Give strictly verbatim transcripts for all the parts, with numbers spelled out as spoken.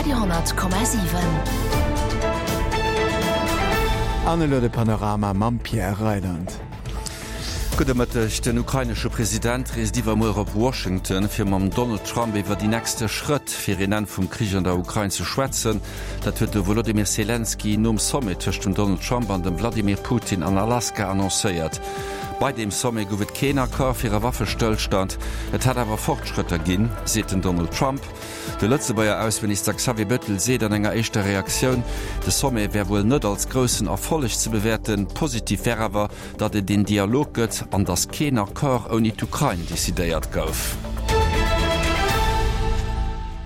Radio honnert Komma siwen. An elo de Panorama mam Pierre Reyland. Gudde Mëtteg, Den ukrainesche President reest iwwermuer op Washington, fir mam Donald Trump iwwer déi nächste Schrëtt fir een Enn vum Krich an der Ukrain ze schwätzen. Dat huet de Wolodymyr Selenskyj nom Sommet tëscht dem Donald Trump an dem Wladimir Putin an Alaska annoncéiert. Bei deem Sommet gouf et keen Accord fir e Waffestëllstand, et hätt awer Fortschrëtter ginn, seet den Donald Trump. De Lëtzebuerger Ausseminister Xavier Bettel seet an enger éischter Reaktioun, de Sommet wär wuel net als groussen Erfolleg ze bewäerten, positiv wär awer, datt et een Dialog gëtt an datt keen Accord ouni d'Ukrain decidéiert gouf.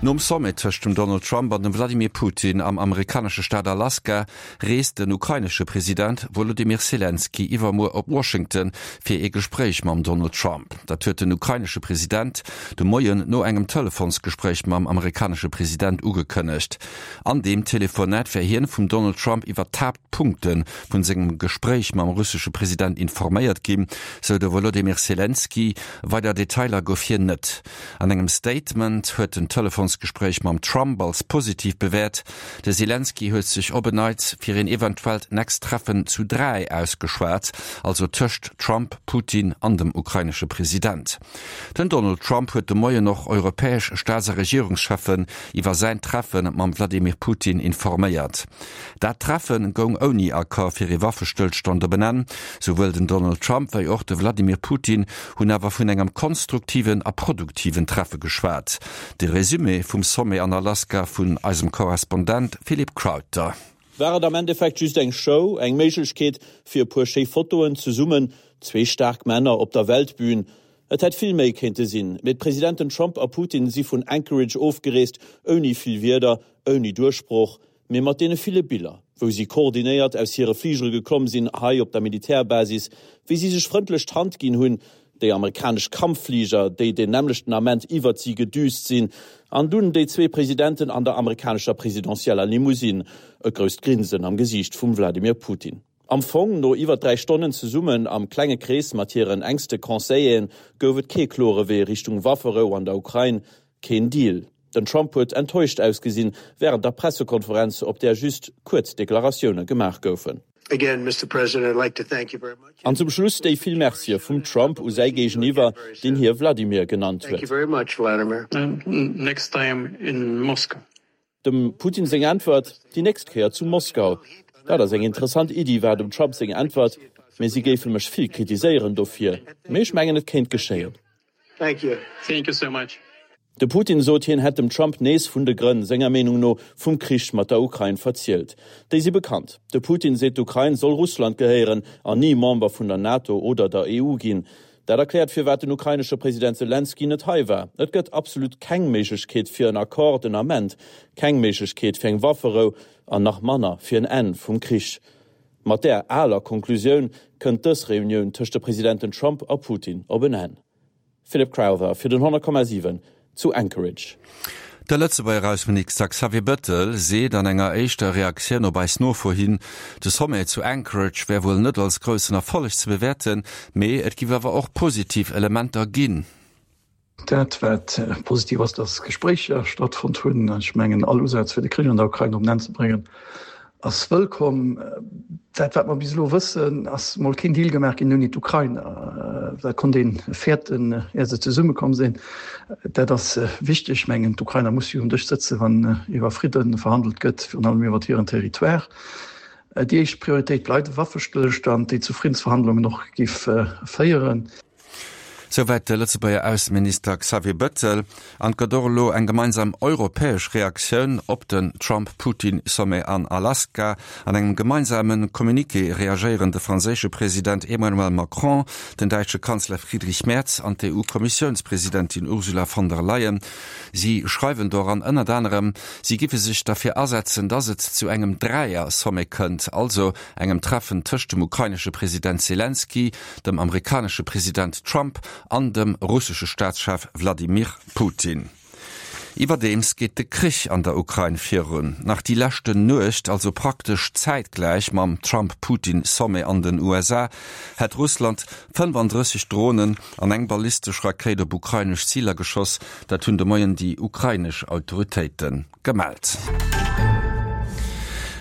Nom Sommet tëscht dem Donald Trump an dem Vladimir Putin am amerikanesche Staat Alaska reest den ukrainesche President Wolodymyr Selenskyj iwwermuer op Washington fir ee Gespréich mam Donald Trump. Dat huet den ukrainesche President de Moien no engem Telefonsgespréich mam amerikanesche President ugekënnegt. An deem Telefonat wär hien vum Donald Trump iwwer d'Haaptpunkte vun sengem Gespréich mam russesche President informéiert ginn, sou de Wolodymyr Selenskyj. Weider Detailer gouf hien net. An engem Statement huet den Telefonsgespréich mam Trump als positiv bewäert. De Selenskyj huet sech op en Neits fir een eventuellt nächst Treffen zu dräi ausgeschwat, also tëscht Trump, Putin an dem ukrainesche President. Den Donald Trump huet de Moien och europäesch Staats a Regierungscheffen iwwer säin Treffe mam Wladimir Putin informéiert. Dat Treffe goung ouni Accord fir ee Waffestëllstand op en Enn. Souwuel den Donald Trump wéi och de Wladimir Putin hunn awer vun engem konstruktiven a produktiven Treffe geschwat. De Resumé vum Sommet an Alaska vun eisem Korrespondent Philippe Crowther. War et am Endeffekt just eng Show, eng Méiglechkeet fir e puer schéi Fotoen zesummen, zwee staark Männer op der Weltbün? Et hätt vill méi kéinte sinn, mee d'Presidenten Trump a Putin si vun Anchorage ofgereest, ouni vill Wierder, ouni Duerchbroch, mee mat deene ville Biller, wou si koordinéiert aus hire Fligere geklomm sinn, hei op der Militärbasis, wéi si sech frëndlech d'Hand ginn hunn, déi amerikanesch Kampffliger, déi deen nämmlechten Ament iwwert si gedüst sinn, an dunn déi zwee Presidenten an der amerikanescher presidentieller Limousine, e grousst Grinsen am Gesiicht vum Wladimir Putin. Am Fong, no iwwer dräi Stonnen zesummen am klenge Krees mat hiren enkste Conseilleren, gouf et kee klore Wee Richtung Wafferou an der Ukrain, keen Deal. Den Trump huet enttäuscht ausgesinn wärend der Pressekonferenz, op där just kuerz Deklaratioune gemaach goufen. An zum Schluss déi vill Mercie vum Trump u säi Géigeniwwer, deen hie Vladimir genannt huet. Dem Putin seng Äntwert, Déi nächst Kéier zu Moskau. Dat ass eng interessant Iddi, war dem Trump seng Äntwert, mee si géife mech vill kritiséieren dofir. Mee ech mengen, et kéint geschéien. De Putin sot, hien hätt dem Trump nees vun de Grënn, senger Meenung no, vum Krich mat der Ukrain verzielt. Déi si bekannt. De Putin seet, d'Ukrain soll Russland gehéieren an ni Member vun der NATO oder der E U ginn. Dat erkläert, firwat den ukrainesche President Selenskyj net hei war. Et gëtt absolut keng Méiglechkeet fir en Accord den Ament, keng Méiglechkeet fir eng Wafferou an nach manner fir en Enn vum Krich. Mat där aler Konklusioun kënnt dës Reunioun tëscht de Presidenten Trump a Putin op en Enn. Philip Crowther fir den honnert Komma siwen zu Anchorage. De Lëtzebuerger Ausseminister Xavier Bettel seet an enger éischter Reaktioun op eis Nofro hin, de Sommet zu Anchorage wär wuel net als groussen Erfolleg ze bewäerten, mee et giff awer och positiv Elementer ginn. Dat wat positiv ass, dass Gespréicher stattfonnt hunn. Ech mengen all Usaz fir de Krich an der Ukrain op en Enn ze bréngen, ass wëllkomm. Dat wat mer bis elo wëssen, ass mol keen Deal gemaach ginn ouni d'Ukrainer. Dat konnt een fäerten, ier se zesummekomm sinn. Dat ass wichteg. Ech mengen d'Ukrainer musse jo um Dësch sëtzen, wann iwwer Fridde verhandelt gëtt, virun allem iwwer hiren Territoire. Déi éischt Prioritéit bleift e Waffestëllstand, deen zu Friddensverhandlungen och géif féieren. Souwäit de Lëtzebuerger Ausseminister Xavier Bettel. An et gëtt och elo eng gemeinsam europäesch Reaktioun op den Trump-Putin-Sommet an Alaska. An engem gemeinsame Communiqué reagéieren de franséische President Emmanuel Macron, den däitsche Kanzler Friedrich Merz an d'E U-Kommissiounspresidentin Ursula von der Leyen. Si schreiwen doran ënnert anerem, si giffe sech derfir asetzen, datt et zu engem Dräier-Sommet kënnt, also engem Treffen tëscht dem ukrainesche President Selenskyj, dem amerikanesche President Trump an dem russesche Staatschef Wladimir Putin. Iwwerdeems geet de Krich an der Ukrain virun. Nach déi leschten Nuecht, also praktesch zäitgläich mam Trump-Putin-Sommet an den U S A, hätt Russland fënnefandrësseg Dronen an eng ballistesch Rakéit op ukrainesch Ziler geschoss. Dat hunn de Moien déi ukrainesch Autoritéite gemellt.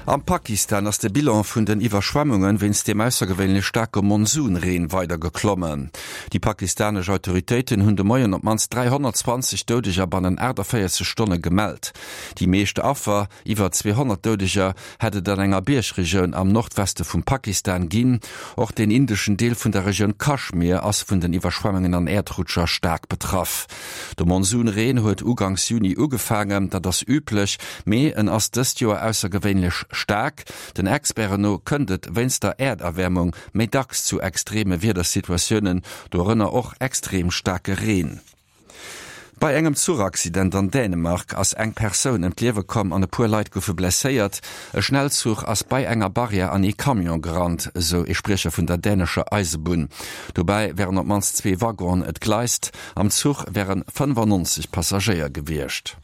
Am Pakistan ass de Bilan vun den Iwwerschwemmunge wéinst dem aussergewéinlech staarke Monsunreen weider geklommen. Déi pakistanesch Autoritéiten hunn de Moien op d'mannst dräihonnertzwanzeg Doudeger bannen aachtavéierzeg Stonne gemellt. Déi meescht Affer, iwwer zweehonnert Doudeger, hätt et an enger Biergregioun am Nordweste vum Pakistan ginn. Och den indeschen Deel vun der Regioun Kaschmir ass vun den Iwwerschwemmungen an Äerdrutscher staark betraff. De Monsunreen huet uganks Juni ugefaangen, dat ass üblech, mee en ass dëst Joer aussergewéinlech staark. Den Experten no kënnt et wéinst der Äerderwäermung méi dacks zu extreme Wiedersituatiounen, dorënner och extrem staarke Reen. Bei engem Zuchaccident an Dänemark ass eng Persoun ëm d'Liewe komm an e puer Leit goufe blesséiert. E Schnellzuch ass bei enger Barrière an ee Camion gerannt, esou ee Spriecher vun der dänescher Eisebunn. Dobäi wären op d'mannst zwee Waggonen entgleist. Am Zuch wäre fënnefannonzeg Passagéier gewiescht.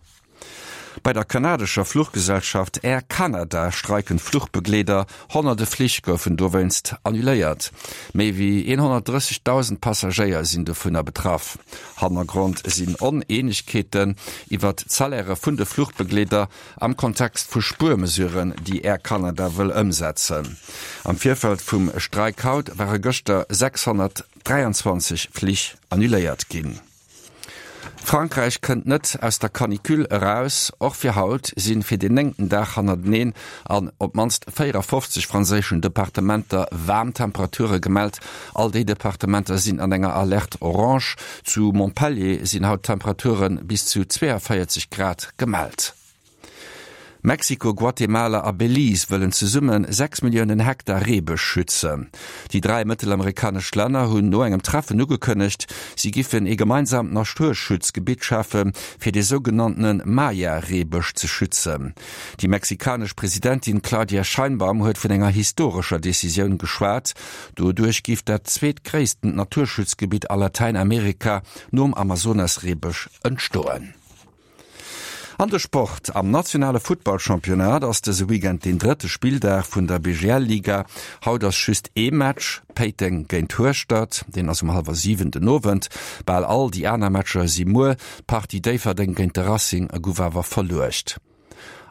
Bei der kanadescher Fluchgesellschaft Air Canada streiken d'Fluchbegleeder, honnerte Flich goufen dowéinst annuléiert. Méi wéi honnertdrëssigdausend Passagéier sinn dovunner betraff. Hannergrond sinn Oneenegkeeten iwwer d'Salairë vun de Fluchbegleeder am Kontext vu Spuermesuren, déi Air Canada wëll ëmsetzen. Am Virfeld vum Streik haut ware gëschter sechshonnertdräianzwanzeg Flich annuléiert ginn. Frankräich kënnt net aus der Canicule eraus. Och fir haut sinn fir den néngten Dag hannerteneen an op d'mannst véierafofzeg franséischen Departementer waarm Temperature gemellt. All déi Departementer sinn an enger Alerte orange. Zu Montpellier sinn haut Temperature bis zu zweeënvéierzeg Grad gemellt. Mexiko, Guatemala a Belize wëllen zesumme sechs Milliounen Hektar Reebësch schützen. Déi dräi mëttelamerikanesch Länner hunn no engem Treffen ugekënnegt, si giffen ee gemeinsaamt Naturschutzgebitt schafe fir de sougenanntene Maya-Reebësch ze schützen. Déi mexikanesch Presidentin Claudia Sheinbaum huet vun enger historescher Decisioun geschwat. Doduerch giff dat zweetgréissten Naturschutzgebitt a Latäinamerika nom Amazonas-Reebësch entstoen. An de Sport. Am nationale Futtballchampionnat ass dëse Weekend den drëtte Spilldag vun der B G L-Liga. Haut ass just ee Match, Péiteng géint Hueschtert, deen ass um hallwer siwen den Owend. Bal all déi aner Matcher si muer. D'Partie Déifferdeng géint de Racing gouf awer verluecht.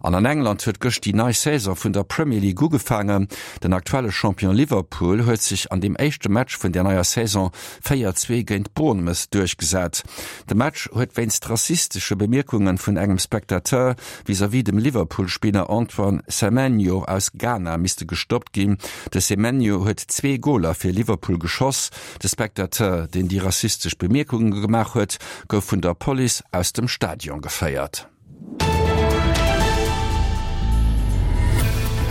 An an England huet gëscht déi nei Saison vun der Premier League ugefaangen. Den aktuelle Champion Liverpool huet sech an deem éischte Match vun der neier Saison véier zwee géint Bournemouth duerchgesat. De Match huet wéinst rassistesche Bemierkunge vun engem Spectateur vis-à-vis dem Liverpool-Spiller Antoine Semenyo aus Ghana misste gestoppt ginn. De Semenyo huet zwee Goler fir Liverpool geschoss. De Spectateur, deen déi rassistesch Bemierkunge gemaach huet, gouf vun der Police aus dem Stadion geféiert.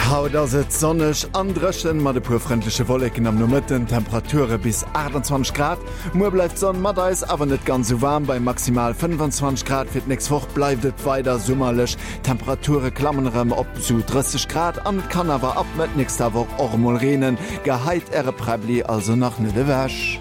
Haut ass et sonneg an dréchen mat e puer frëndleche Wolleken am Nomëtten, Temperature bis achtundzwanzeg Grad. Muer bleift d'Sonn mat eis, awer net ganz esou waarm, bei maximal fënnefuzwanzeg Grad. Fir d'nächst Woch bleift et weider summerlech. Temperature klammen erëm op zu drësseg Grad an et kann awer ab Mëtt nächster Woch och emol reenen. Geheit äre Präbbli also nach net ewech.